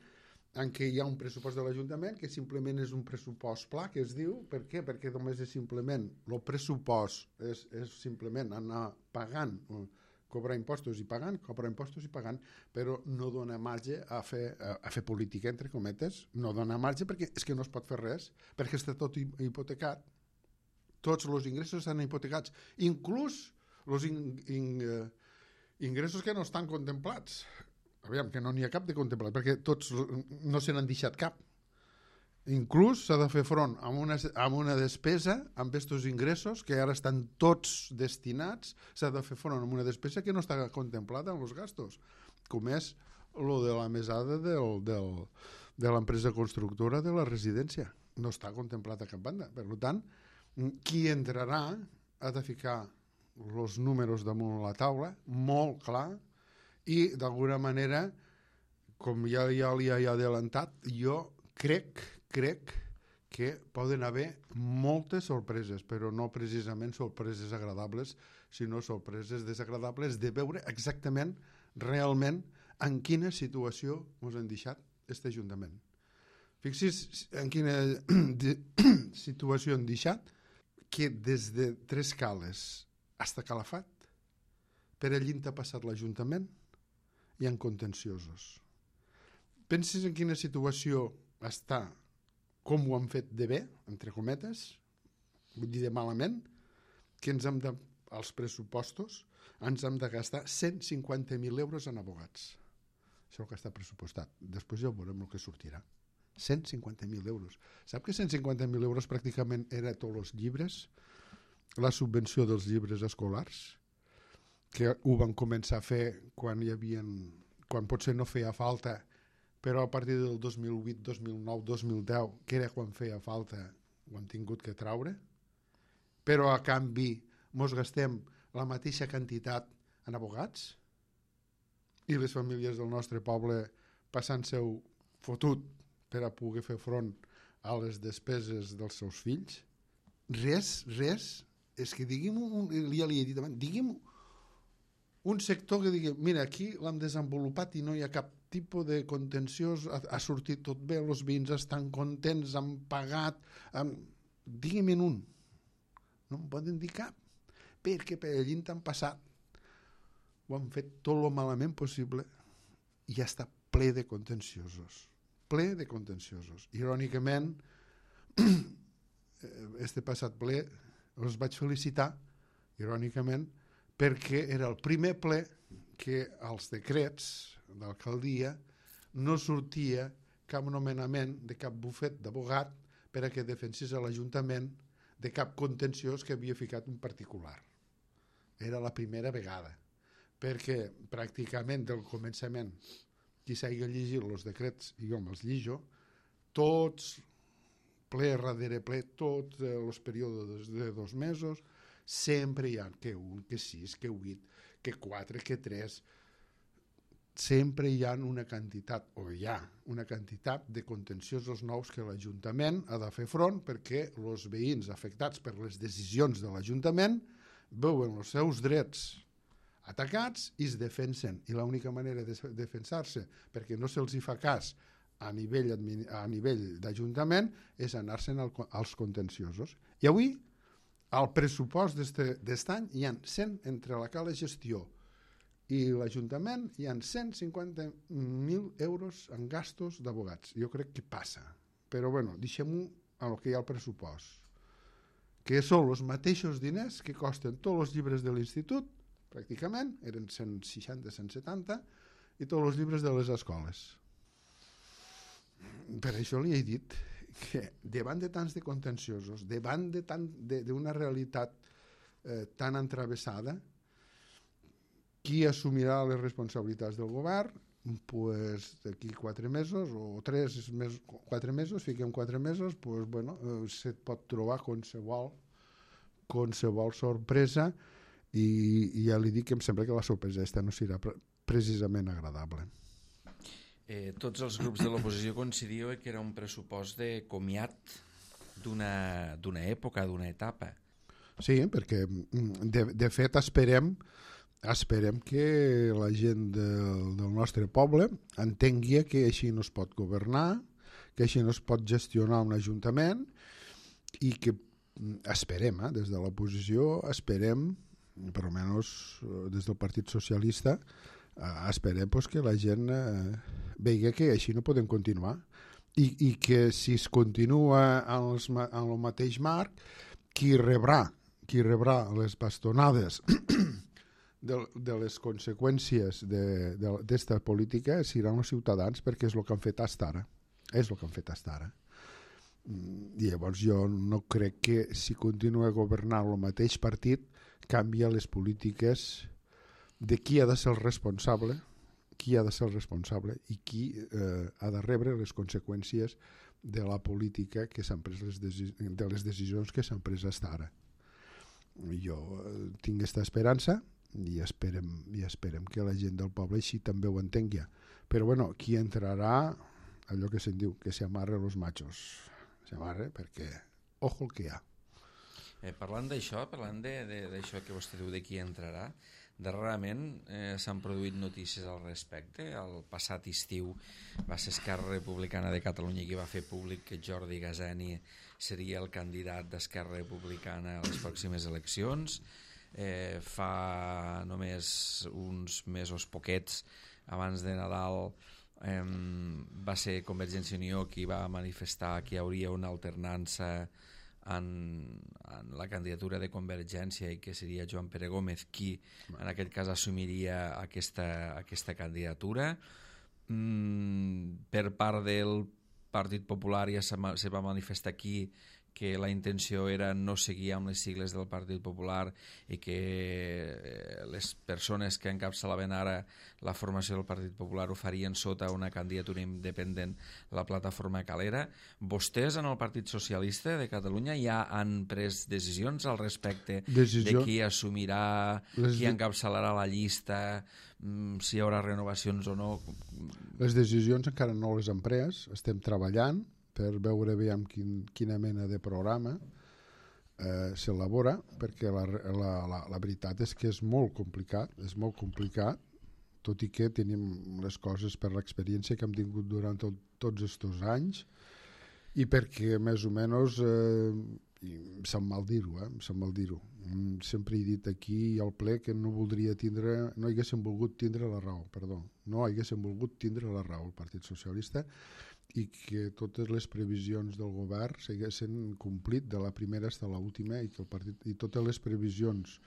en què hi ha un pressupost de l'Ajuntament que simplement és un pressupost pla, que es diu. Per què? Perquè només és simplement, el pressupost és simplement anar pagant, cobrar impostos i pagant, però no dona marge a fer política, entre cometes. No dona marge perquè és que no es pot fer res, perquè està tot hipotecat. Tots els ingressos estan hipotecats, inclús els ingressos que no estan contemplats. Aviam, que no n'hi ha cap de contemplat, perquè tots no se n'han deixat cap. Inclús s'ha de fer front a una despesa amb aquests ingressos que ara estan tots destinats, s'ha de fer front a una despesa que no està contemplada en els gastos, com és lo de la mesada de l'empresa constructora de la residència. No està contemplat a cap banda. Per tant, qui entrarà ha de ficar els números damunt la taula, molt clar, i d'alguna manera, com ja li he adelantat, jo crec que poden haver moltes sorpreses, però no precisament sorpreses agradables, sinó sorpreses desagradables de veure exactament, realment, en quina situació ens han deixat aquest Ajuntament. Fixi's en quina situació han deixat, que des de Tres Cales fins a Calafat, per allí ha passat l'Ajuntament, hi ha contenciosos. Pensis en quina situació està, com ho han fet de bé, entre cometes, vull dir de malament, que als pressupostos ens hem de gastar 150.000 euros en abogats. Això és el que està pressupostat. Després ja veurem el que sortirà. 150.000 euros. Sap que 150.000 euros pràcticament era tots els llibres, la subvenció dels llibres escolars, que ho van començar a fer quan potser no feia falta, però a partir del 2008, 2009, 2010, que era quan feia falta, ho han tingut que traure, però a canvi mos gastem la mateixa quantitat en abogats i les famílies del nostre poble passant-se-ho fotut per a poder fer front a les despeses dels seus fills. Res, és que digui'm, ja li he dit abans, digui'm un sector que digui, mira, aquí l'hem desenvolupat i no hi ha cap tipus de contenciós, ha sortit tot bé, els veïns estan contents, han pagat, digui'm un. No em poden dir cap, perquè per allí han passat, ho han fet tot el malament possible i ja està ple de contenciosos. Irònicament, este passat ple els vaig felicitar, irònicament, perquè era el primer ple que als decrets d'alcaldia no sortia cap nomenament de cap bufet d'abogat per a que defensés a l'Ajuntament de cap contenciós que havia ficat un particular. Era la primera vegada, perquè pràcticament del començament, qui s'hagi llegit els decrets, i jo me'ls llijo, tots, ple darrere ple, tots els períodes de 2 mesos, sempre hi ha que 1, que 6, que 8, que 4, que 3. Sempre hi ha una quantitat, o hi ha una quantitat de contenciosos nous que l'Ajuntament ha de fer front perquè els veïns afectats per les decisions de l'Ajuntament veuen els seus drets atacats i es defensen. I l'única manera de defensar-se, perquè no se'ls hi fa cas a nivell d'Ajuntament, és anar-se'n als contenciosos. I avui, al pressupost d'est any, hi ha 100, entre la cala gestió i l'Ajuntament, hi ha 150.000 euros en gastos d'abogats. Jo crec que passa. Però bueno, deixem-ho al que hi ha al pressupost, que són els mateixos diners que costen tots els llibres de l'institut, pràcticament, eren 160, 170, i tots els llibres de les escoles. Per això li he dit que davant de tants de contenciosos, davant d'una realitat tan entravessada, qui assumirà les responsabilitats del govern? Pues d'aquí 4 mesos o 4 mesos, fiquem 4 mesos, pues bueno, se pot trobar qualsevol sorpresa i ja li dic que em sembla que la sorpresa aquesta no serà precisament agradable. Tots els grups de l'oposició coincidíeu que era un pressupost de comiat d'una època, d'una etapa. Sí, perquè de fet esperem que la gent del nostre poble entengui que així no es pot governar, que així no es pot gestionar un ajuntament i que esperem, des de l'oposició, esperem, per almenys des del Partit Socialista, esperem que la gent vegi que així no podem continuar i que si es continua en el mateix marc, qui rebrà les bastonades de les conseqüències d'esta política seran els ciutadans, perquè és el que han fet fins ara. És el que han fet fins ara. I llavors jo no crec que si continua governant el mateix partit canvia les polítiques de qui ha de ser el responsable, i qui ha de rebre les conseqüències de la política que s'han pres, de les decisions que s'han pres fins ara. Jo tinc aquesta esperança i esperem que la gent del poble així també ho entengui. Però bueno, qui entrarà, allò que se'n diu, que se amarre los machos. Se amarre perquè ojo el que hi ha. Parlant d'això que vostè diu de qui entrarà, darrerament s'han produït notícies al respecte. El passat estiu va ser Esquerra Republicana de Catalunya qui va fer públic que Jordi Gaseni seria el candidat d'Esquerra Republicana a les pròximes eleccions. Fa només uns mesos poquets abans de Nadal va ser Convergència i Unió qui va manifestar que hi hauria una alternança en la candidatura de Convergència i que seria Joan Pere Gómez qui en aquest cas assumiria aquesta candidatura. Per part del Partit Popular ja se va manifestar aquí que la intenció era no seguir amb les sigles del Partit Popular i que les persones que encapçalaven ara la formació del Partit Popular ho farien sota una candidatura independent, la plataforma Calera. Vostès en el Partit Socialista de Catalunya ja han pres decisions al respecte de qui assumirà, qui encapçalarà la llista, si hi haurà renovacions o no? Les decisions encara no les hem pres, estem treballant per veure bé amb quina mena de programa s'elabora, perquè la veritat és que és molt complicat, tot i que tenim les coses per l'experiència que hem tingut durant tots aquests anys i perquè més o menys em sap mal dir-ho, sempre he dit aquí al ple que no haguéssim volgut tindre la raó el Partit Socialista i que totes les previsions del govern s'haguessin complit de la primera fins a l'última i totes les previsions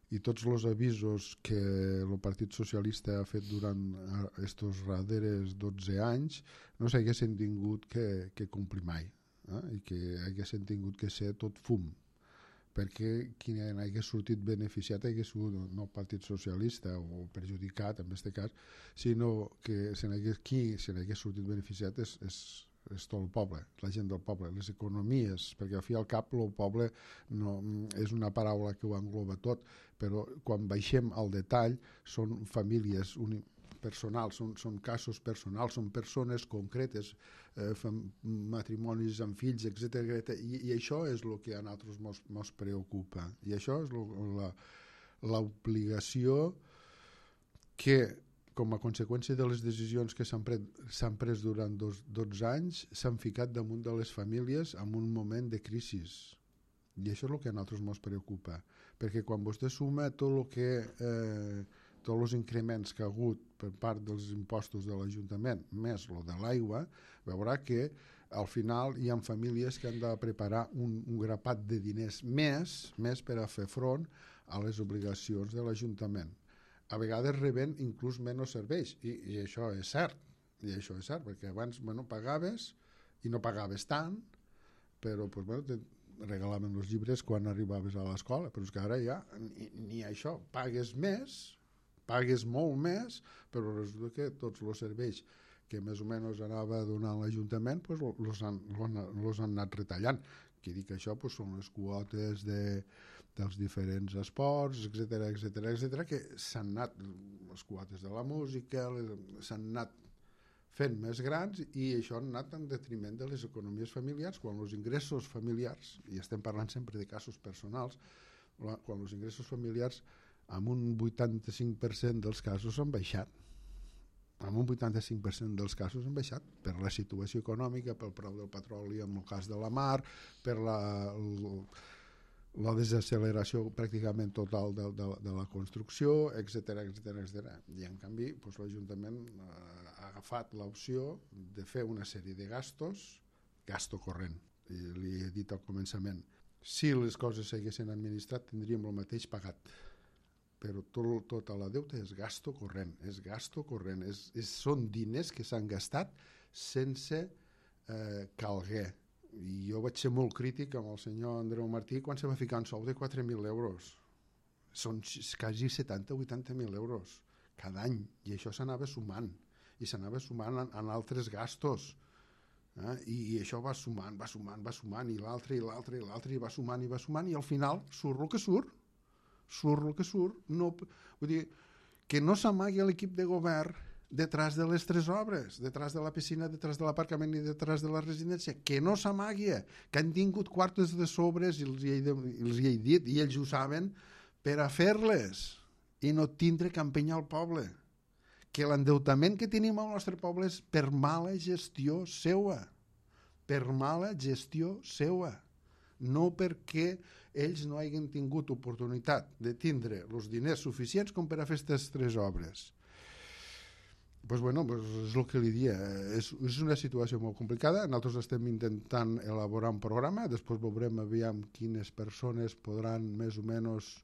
i tots els avisos que el Partit Socialista ha fet durant aquests darrers 12 anys no s'haguessin tingut que complir mai, i que haguessin tingut que ser tot fum, perquè qui n'hagués sortit beneficiat hagués sigut no el Partit Socialista o perjudicat en aquest cas, sinó que qui se n'hagués sortit beneficiat és tot el poble, la gent del poble, les economies, perquè al fi i al cap el poble no, és una paraula que ho engloba tot, però quan baixem al detall són famílies personals, són casos personals, són persones concretes, matrimonis amb fills, etc. I això és el que a nosaltres ens preocupa. I això és l'obligació que com a conseqüència de les decisions que s'han pres durant 12 anys, s'han ficat damunt de les famílies en un moment de crisi. I això és el que a nosaltres ens preocupa, perquè quan vostè suma tot el que tots els increments que ha hagut per part dels impostos de l'Ajuntament més el de l'aigua, veurà que al final hi ha famílies que han de preparar un grapat de diners més per a fer front a les obligacions de l'Ajuntament. A vegades reben inclús menys serveis, i això és cert, perquè abans pagaves i no pagaves tant, però te regalaven els llibres quan arribaves a l'escola, però és que ara ja ni això, pagues molt més, però resulta que tots els serveis que més o menys anava donant l'Ajuntament els han anat retallant. Que dic això són les quotes dels diferents esports, etc, que s'han anat, les quotes de la música, s'han anat fent més grans, i això ha anat en detriment de les economies familiars, quan els ingressos familiars, i estem parlant sempre de casos personals, quan els ingressos familiars en un 85% dels casos han baixat. En un 85% dels casos han baixat per la situació econòmica, pel preu del petroli en el cas de la mar, per la desacceleració pràcticament total de la construcció, etc. I en canvi l'Ajuntament ha agafat l'opció de fer una sèrie de gasto corrent. I li he dit al començament, si les coses s'haguessin administrat tindríem el mateix pagat, però tota la deuta és gasto corrent, són diners que s'han gastat sense calguer. I jo vaig ser molt crític amb el senyor Andreu Martí quan se va ficar un sou de 4.000 euros. Són quasi 70-80.000 euros cada any, i això s'anava sumant, i s'anava sumant en altres gastos. I això va sumant, i l'altre, i va sumant, i al final surt el que surt. No, vull dir, que no s'amagui l'equip de govern detrás de les 3 obres, detrás de la piscina, detrás de l'aparcament i detrás de la residència, que no s'amagui, que han tingut quartes de sobres, i els hi he dit, i ells ho saben, per a fer-les i no tindre que empenyar el poble. Que l'endeutament que tenim al nostre poble és per mala gestió seua, no perquè ells no hagin tingut oportunitat de tindre els diners suficients com per a fer aquestes 3 obres. És el que li dia. És una situació molt complicada. Nosaltres estem intentant elaborar un programa, després veurem aviam quines persones podran més o menys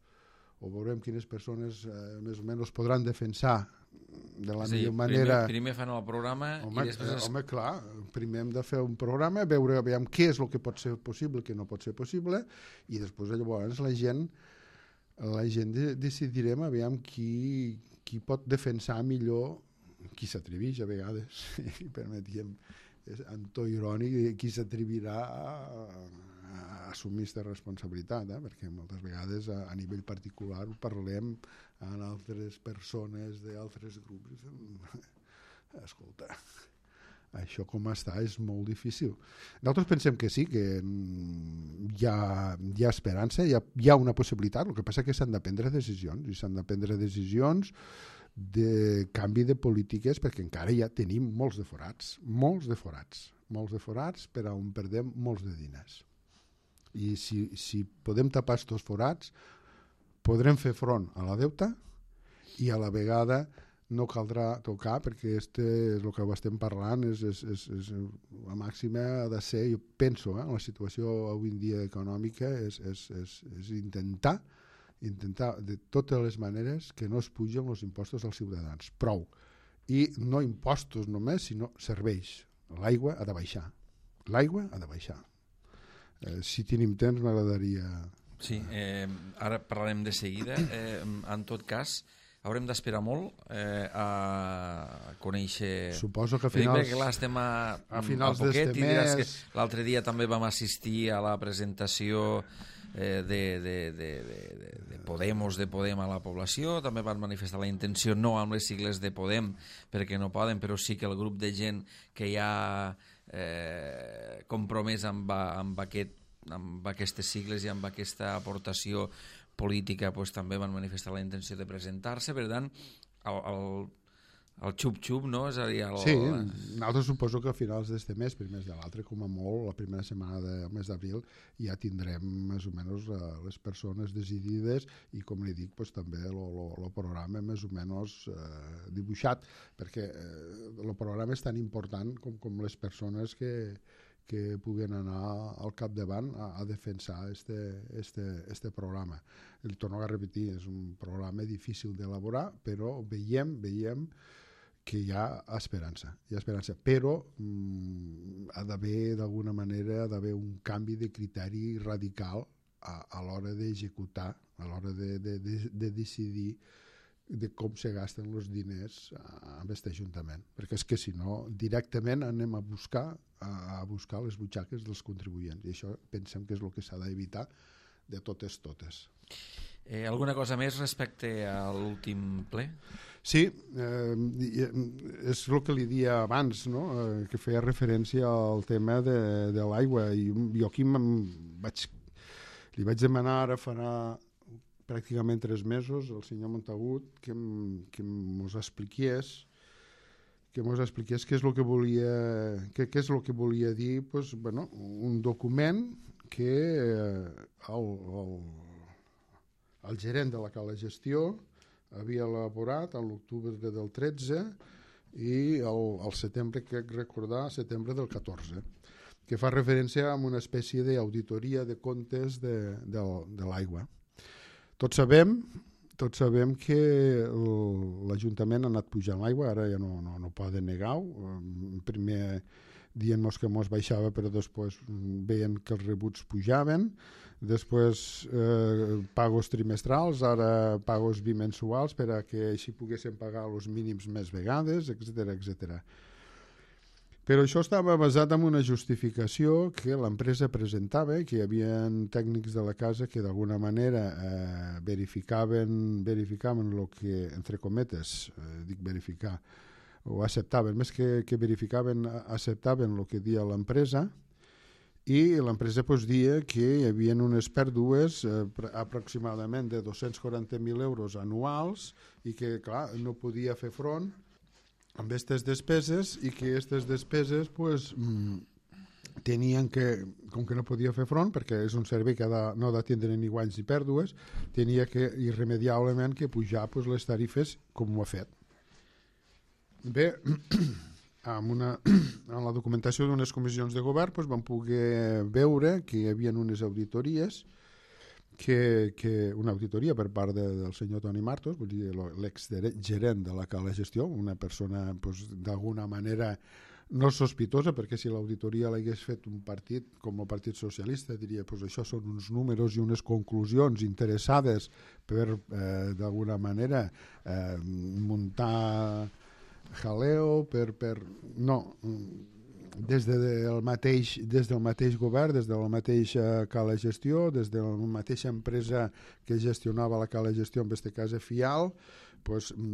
podran defensar de la millor manera. Primer fan el programa i després... Home, clar, primer hem de fer un programa, veure aviam què és el que pot ser possible, què no pot ser possible, i després llavors la gent decidirem aviam qui pot defensar millor, qui s'atreveix a vegades, i permetíem, en to irònic, qui s'atrevirà a assumir aquesta responsabilitat, perquè moltes vegades a nivell particular ho parlem amb altres persones d'altres grups. Escolta, això com està és molt difícil. Nosaltres pensem que sí, que hi ha esperança, hi ha una possibilitat, el que passa és que s'han de prendre decisions, i s'han de prendre decisions de canvi de polítiques, perquè encara ja tenim molts de forats per on perdem molts de diners. I si podem tapar aquests forats, podrem fer front a la deuta, i a la vegada no caldrà tocar, perquè és el que estem parlant, la màxima ha de ser, jo penso, la situació avui en dia econòmica és intentar de totes les maneres que no es pugen els impostos als ciutadans. Prou. I no impostos només, sinó serveis. L'aigua ha de baixar. Si tenim temps m'agradaria... Sí, ara parlarem de seguida. En tot cas, haurem d'esperar molt a conèixer... Suposo que a finals... Perquè clar, estem a finals poquet, d'este mes... L'altre dia també vam assistir a la presentació de Podem a la població. També van manifestar la intenció, no amb les sigles de Podem, perquè no poden, però sí que el grup de gent que hi ha compromès amb aquestes sigles i amb aquesta aportació política, també van manifestar la intenció de presentar-se. Per tant, el xup-xup, no? És a dir, Sí, nosaltres suposo que a finals d'este mes, primers de l'altre, com a molt, la primera setmana del mes d'abril, ja tindrem més o menys les persones decidides i, com li dic, pues, també el programa més o menys dibuixat, perquè el programa és tan important com les persones que puguen anar al capdavant a defensar este programa. El torno a repetir, és un programa difícil d'elaborar, però veiem que hi ha esperança, però ha d'haver d'alguna manera un canvi de criteri radical a l'hora d'executar, a l'hora de decidir de com se gasten els diners amb aquest ajuntament, perquè és que si no directament anem a buscar les butxaques dels contribuents, i això pensem que és el que s'ha d'evitar de totes. Alguna cosa més respecte a l'últim ple? Sí, és el que li dia abans, no? Que feia referència al tema de l'aigua, i jo aquí li vaig demanar ara farà pràcticament 3 mesos al senyor Montagut que mos expliqués què és el que volia què és el que volia dir, pues, bueno, un document que el gerent de la Cala Gestió havia elaborat a l'octubre del 13 i al setembre, crec recordar, setembre del 14, que fa referència a una espècie d'auditoria de comptes de l'aigua. Tots sabem que l'Ajuntament ha anat pujant l'aigua, ara ja no poden negar-ho. Primer dient-nos que mos baixava, però després veien que els rebuts pujaven, després pagos trimestrals, ara pagos bimensuals per a que així poguessin pagar els mínims més vegades, etc. Però això estava basat en una justificació que l'empresa presentava, que hi havia tècnics de la casa que d'alguna manera verificaven el que, entre cometes, dic verificar, o acceptaven, més que verificaven, acceptaven el que dia l'empresa, i l'empresa dia que hi havia unes pèrdues aproximadament de 240.000 euros anuals i que, clar, no podia fer front amb aquestes despeses, i que aquestes despeses tenien que, com que no podia fer front, perquè és un servei que no ha de tindre ni guanys ni pèrdues, tenia que irremediablement que pujar les tarifes com ho ha fet. Bé, en la documentació d'unes comissions de govern vam poder veure que hi havia unes auditories, una auditoria per part del senyor Toni Martos, vull dir, l'exgerent de la Cala Gestió, una persona d'alguna manera no sospitosa, perquè si l'auditoria l'hagués fet un partit com el Partit Socialista diria això són uns números i unes conclusions interessades per d'alguna manera muntar jaleo, no, des del mateix govern, des de la mateixa Cala Gestió, des de la mateixa empresa que gestionava la Cala Gestió, en aquest cas FIAL,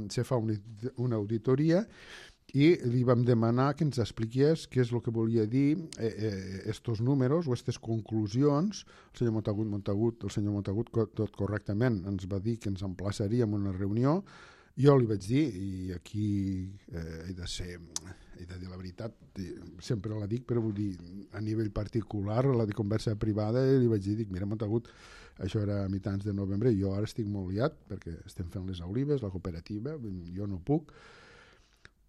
se fa una auditoria i li vam demanar que ens expliqués què és el que volia dir estos números o aquestes conclusions. El senyor Montagut tot correctament ens va dir que ens emplaçaríem a una reunió. Jo li vaig dir, i aquí he de dir la veritat, sempre la dic, però vull dir, a nivell particular, la de conversa privada, li vaig dir, mira, Montagut, això era a mitjans de novembre, jo ara estic molt liat, perquè estem fent les olives, la cooperativa, jo no puc,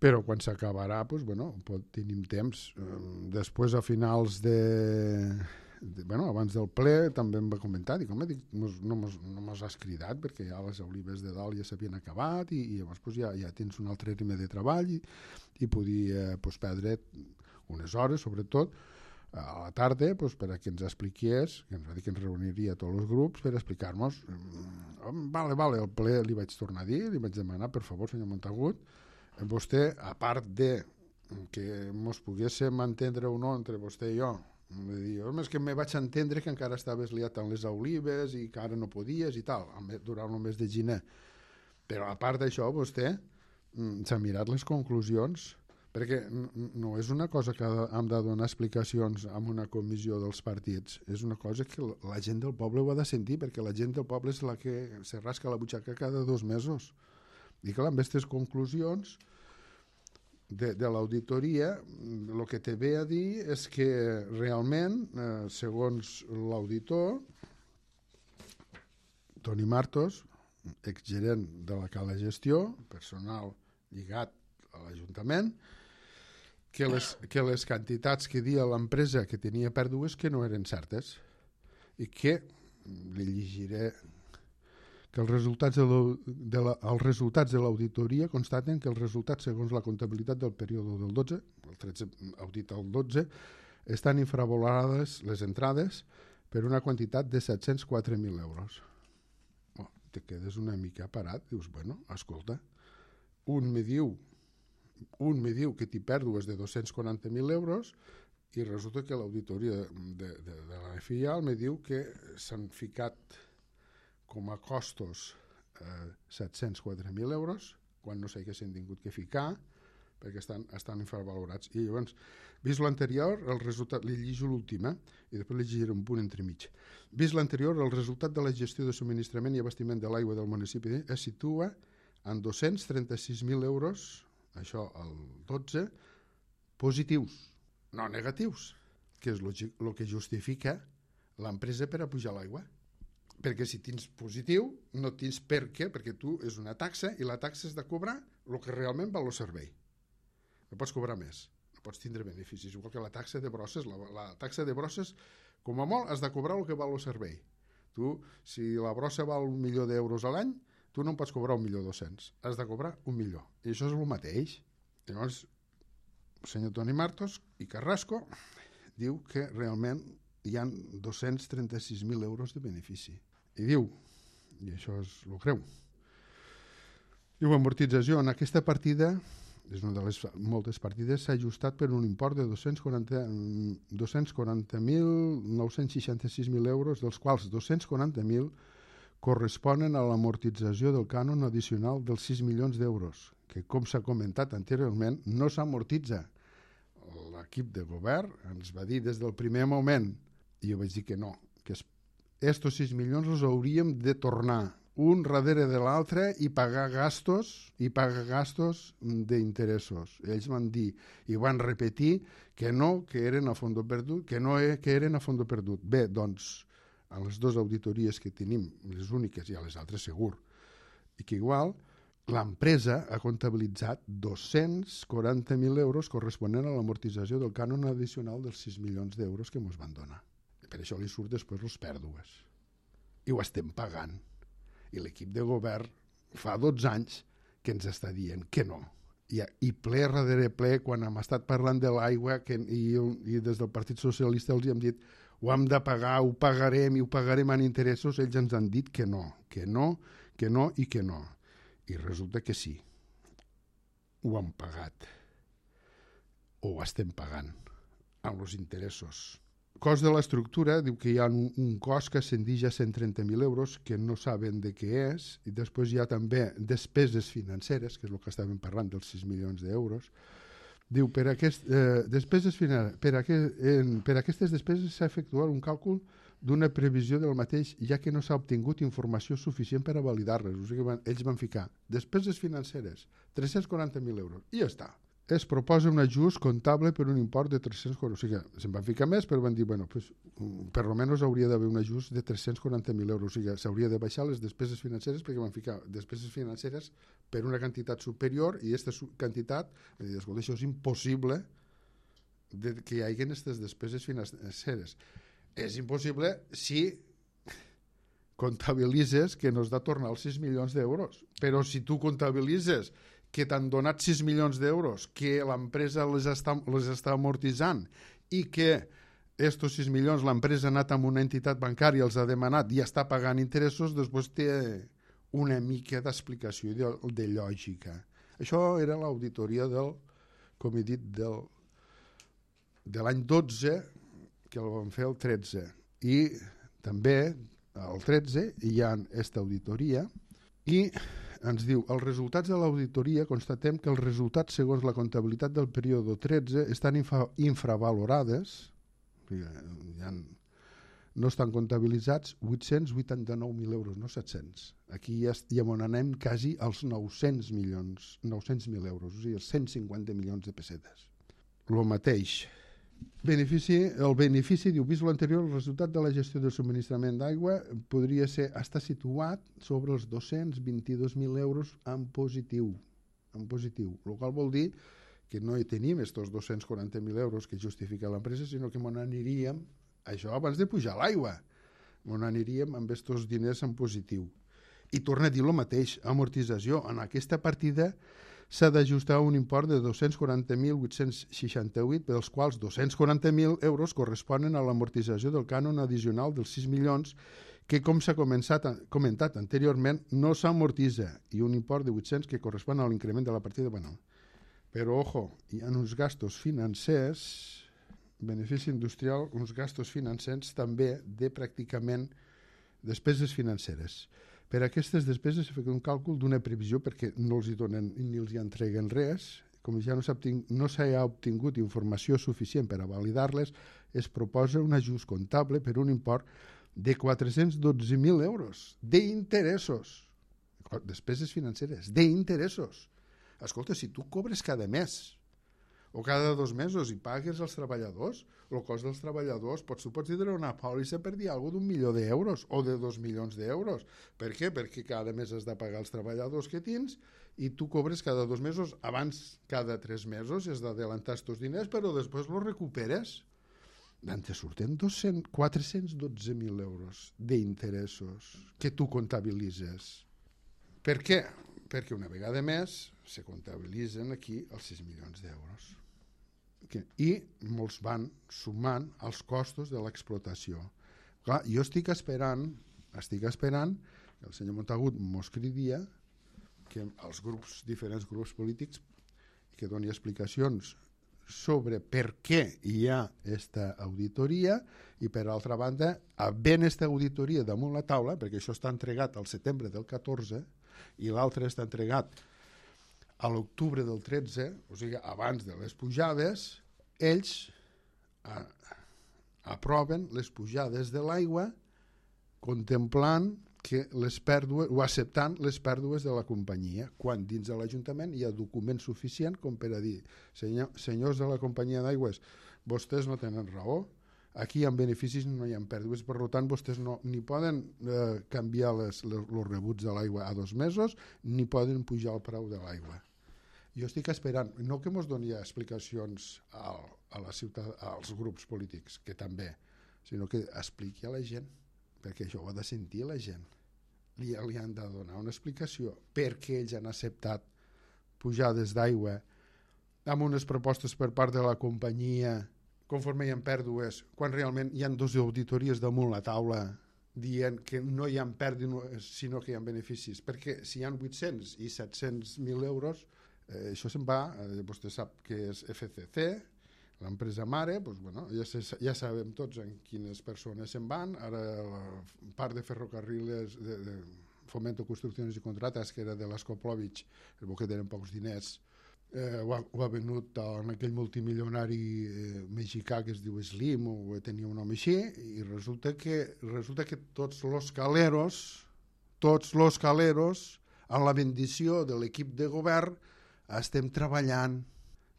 però quan s'acabarà, tenim temps. Després, a finals abans del ple també em va comentar, no mos has cridat perquè ja les olives de dalt ja s'havien acabat i llavors ja tens un altre ritme de treball i podia perdre unes hores, sobretot a la tarda, per a que ens expliqués, que ens va dir que ens reuniria tots els grups per explicar-nos. Vale, el ple li vaig tornar a dir, li vaig demanar, per favor, senyor Montagut, vostè, a part de que mos poguéssim entendre o no entre vostè i jo, és que me vaig entendre que encara estaves liat amb les olives i que ara no podies i tal, durant el mes de gener. Però a part d'això, vostè s'ha mirat les conclusions, perquè no és una cosa que hem de donar explicacions en una comissió dels partits, és una cosa que la gent del poble ho ha de sentir, perquè la gent del poble és la que se rasca la butxaca cada 2 mesos. I clar, amb aquestes conclusions de l'auditoria, el que te ve a dir és que realment, segons l'auditor, Toni Martos, exgerent de la Cala Gestió, personal lligat a l'Ajuntament, que les quantitats que dia l'empresa que tenia pèrdues que no eren certes i que, li llegiré, que els resultats de l'auditoria constaten que els resultats segons la comptabilitat del període del 12, el 13 audit al 12, estan infravalorades les entrades per una quantitat de 704.000 euros. Te quedes una mica parat, dius, bueno, escolta, un me diu que t'hi pèrdues de 240.000 euros i resulta que l'auditoria de la FIAL me diu que s'han ficat com a costos 704.000 euros quan no s'haguessin tingut que ficar perquè estan infravalorats. I llavors, vist l'anterior, el resultat, li llegeixo l'última i després li llegiré un punt entremig. Vist l'anterior, el resultat de la gestió de subministrament i abastiment de l'aigua del municipi es situa en 236.000 euros, això el 12, positius, no negatius, que és el que justifica l'empresa per a pujar l'aigua. Perquè si tens positiu, no tens per què, perquè tu és una taxa i la taxa és de cobrar el que realment val el servei. No pots cobrar més, no pots tindre beneficis, igual que la taxa de brosses. La taxa de brosses, com a molt, has de cobrar el que val el servei. Tu, si la brossa val 1.000.000 d'euros a l'any, tu no en pots cobrar 1.200.000, has de cobrar 1.000.000. I això és el mateix. Llavors, el senyor Toni Martos i Carrasco diu que realment hi ha 236.000 euros de benefici. I diu, i això és el creu, diu, amortització en aquesta partida, és una de les moltes partides, s'ha ajustat per un import de 240.966.000 euros, dels quals 240.000 corresponen a l'amortització del cànon addicional dels 6 milions d'euros, que, com s'ha comentat anteriorment, no s'amortitza. L'equip de govern ens va dir des del primer moment, i jo vaig dir que no, que estos 6 milions els hauríem de tornar un darrere de l'altre i pagar gastos d'interessos. Ells van dir i van repetir que no, que eren a fons perdut, que no que eren a fons perdut. Bé, doncs, a les dues auditories que tenim, les úniques i a les altres segur, i que igual l'empresa ha comptabilitzat 240.000 euros corresponent a l'amortització del cànon addicional dels 6 milions d'euros que ens van donar. Per això li surt després les pèrdues. I ho estem pagant. I l'equip de govern fa 12 anys que ens està dient que no. I ple darrere ple, quan hem estat parlant de l'aigua i des del Partit Socialista els hem dit ho hem de pagar, ho pagarem i ho pagarem en interessos, ells ens han dit que no, que no, que no i que no. I resulta que sí. Ho hem pagat. O ho estem pagant amb els interessos. Cost de l'estructura, diu que hi ha un cost que ascendix a 130.000 euros que no saben de què és, i després hi ha també despeses financeres, que és el que estàvem parlant dels 6 milions d'euros. Diu, per aquestes despeses s'ha efectuat un càlcul d'una previsió del mateix, ja que no s'ha obtingut informació suficient per a validar-les. O sigui, ells van ficar despeses financeres, 340.000 euros, i ja està. Es proposa un ajust comptable per un import de 340.000. O sigui, se'n van ficar més, però van dir, bueno, pues, per almenys hauria d'haver un ajust de 340.000 euros. O sigui, s'hauria de baixar les despeses financeres perquè van ficar despeses financeres per una quantitat superior i aquesta quantitat, escolta, això és impossible que hi hagi aquestes despeses financeres. És impossible si comptabilitzes que no has de tornar els 6 milions d'euros. Però si tu comptabilitzes que t'han donat 6 milions d'euros, que l'empresa les està amortitzant i que estos 6 milions l'empresa ha anat amb una entitat bancària, els ha demanat i està pagant interessos, després té una mica d'explicació de lògica. Això era l'auditoria com he dit, de l'any 12, que el vam fer el 13. I també al 13 hi ha aquesta auditoria i ens diu, els resultats de l'auditoria constatem que els resultats segons la comptabilitat del període 13 estan infravalorades, hi ha no estan comptabilitzats 889.000 euros, no 700. Aquí ja anem quasi als 900.000 euros, o sigui, els 150 milions de pessetes. El mateix. El benefici, diu, vist l'anterior, el resultat de la gestió del subministrament d'aigua podria estar situat sobre els 222.000 euros en positiu, el qual vol dir que no hi tenim estos 240.000 euros que justifica l'empresa, sinó que n'aniríem, això abans de pujar l'aigua, n'aniríem amb estos diners en positiu. I torna a dir el mateix, amortització. En aquesta partida s'ha d'ajustar un import de 240.868, dels quals 240.000 euros corresponen a l'amortització del cànon addicional dels 6 milions que, com s'ha comentat anteriorment, no s'amortitza, i un import de 800 que correspon a l'increment de la partida. Bueno, però, ojo, hi ha uns gastos financers, benefici industrial, uns gastos financers també de pràcticament despeses financeres. Per a aquestes despeses s'ha fet un càlcul d'una previsió perquè no els hi donen ni els hi entreguen res. Com ja no s'ha obtingut informació suficient per a validar-les, es proposa un ajust comptable per un import de 412.000 euros d'interessos. Despeses financeres, d'interessos. Escolta, si tu cobres cada mes o cada 2 mesos i pagues als treballadors, el cost dels treballadors tu pots tindre una pòlissa per dir alguna cosa d'1 milió d'euros o de 2 milions d'euros. Per què? Perquè cada mes has de pagar els treballadors que tens i tu cobres cada 2 mesos, abans cada 3 mesos i has d'adelantar aquests diners, però després els recuperes. Te surten 412.000 euros d'interessos que tu comptabilitzes. Per què? Perquè una vegada més se comptabilitzen aquí els 6 milions d'euros. I molts van sumant els costos de l'explotació. Clar, jo estic esperant que el senyor Montagut mos cridia que els diferents grups polítics que doni explicacions sobre per què hi ha aquesta auditoria i, per altra banda, havent aquesta auditoria damunt la taula, perquè això està entregat al setembre del 14 i l'altre està entregat a l'octubre del 13, o sigui, abans de les pujades, ells aproven les pujades de l'aigua contemplant que les pèrdues, o acceptant les pèrdues de la companyia, quan dins de l'Ajuntament hi ha document suficient com per a dir, senyors de la companyia d'aigües, vostès no tenen raó, aquí hi ha beneficis, no hi ha pèrdues, per tant vostès ni poden canviar els rebuts de l'aigua a 2 mesos, ni poden pujar el preu de l'aigua. Jo estic esperant, no que ens doni explicacions a la ciutat, als grups polítics, que també, sinó que expliqui a la gent, perquè això ho ha de sentir la gent. Li han de donar una explicació perquè ells han acceptat pujades d'aigua amb unes propostes per part de la companyia conforme hi ha pèrdues, quan realment hi ha 2 auditories damunt la taula dient que no hi ha pèrdues sinó que hi ha beneficis, perquè si hi ha 800 i 700.000 euros, això se'n va, vostè sap que és FCC, l'empresa mare, doncs, bueno, ja sabem tots en quines persones se'n van, ara la part de ferrocarrils de Fomento Construcciones i Contratas, que era de l'Escoplovich, que tenen pocs diners, ho ha venut en aquell multimilionari mexicà que es diu Slim, o tenia un nom així, i resulta que tots los caleros, amb la bendició de l'equip de govern, estem treballant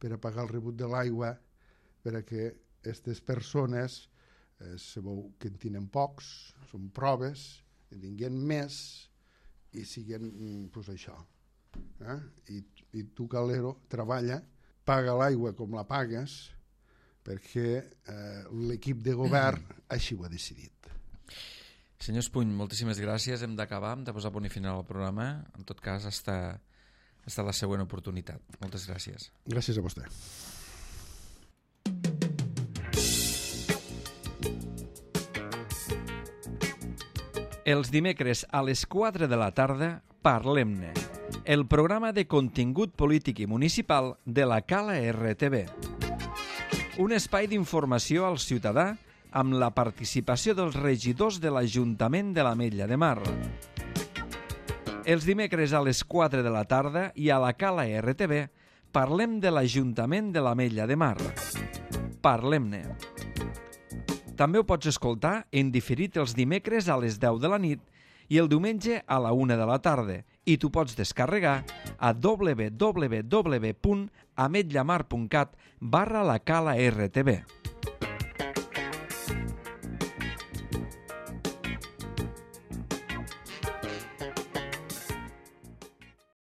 per a pagar el rebut de l'aigua perquè aquestes persones sabeu que en tenen pocs, són proves, en tinguin més i siguin això. I tu, calero, treballa, paga l'aigua com la pagues perquè l'equip de govern així ho ha decidit. Senyor Espuny, moltíssimes gràcies. Hem d'acabar, hem de posar punt i final al programa. En tot cas, està la següent oportunitat. Moltes gràcies. Gràcies a vostè. Els dimecres a les 4 de la tarda, Parlem-ne, el programa de contingut polític i municipal de la Cala RTV. Un espai d'informació al ciutadà amb la participació dels regidors de l'Ajuntament de l'Ametlla de Mar. Els dimecres a les 4 de la tarda i a la Cala RTV parlem de l'Ajuntament de l'Ametlla de Mar. Parlem-ne. També ho pots escoltar en diferit els dimecres a les 10 de la nit i el diumenge a la 1 de la tarda. I t'ho pots descarregar a www.ametllamar.cat/la cala RTV.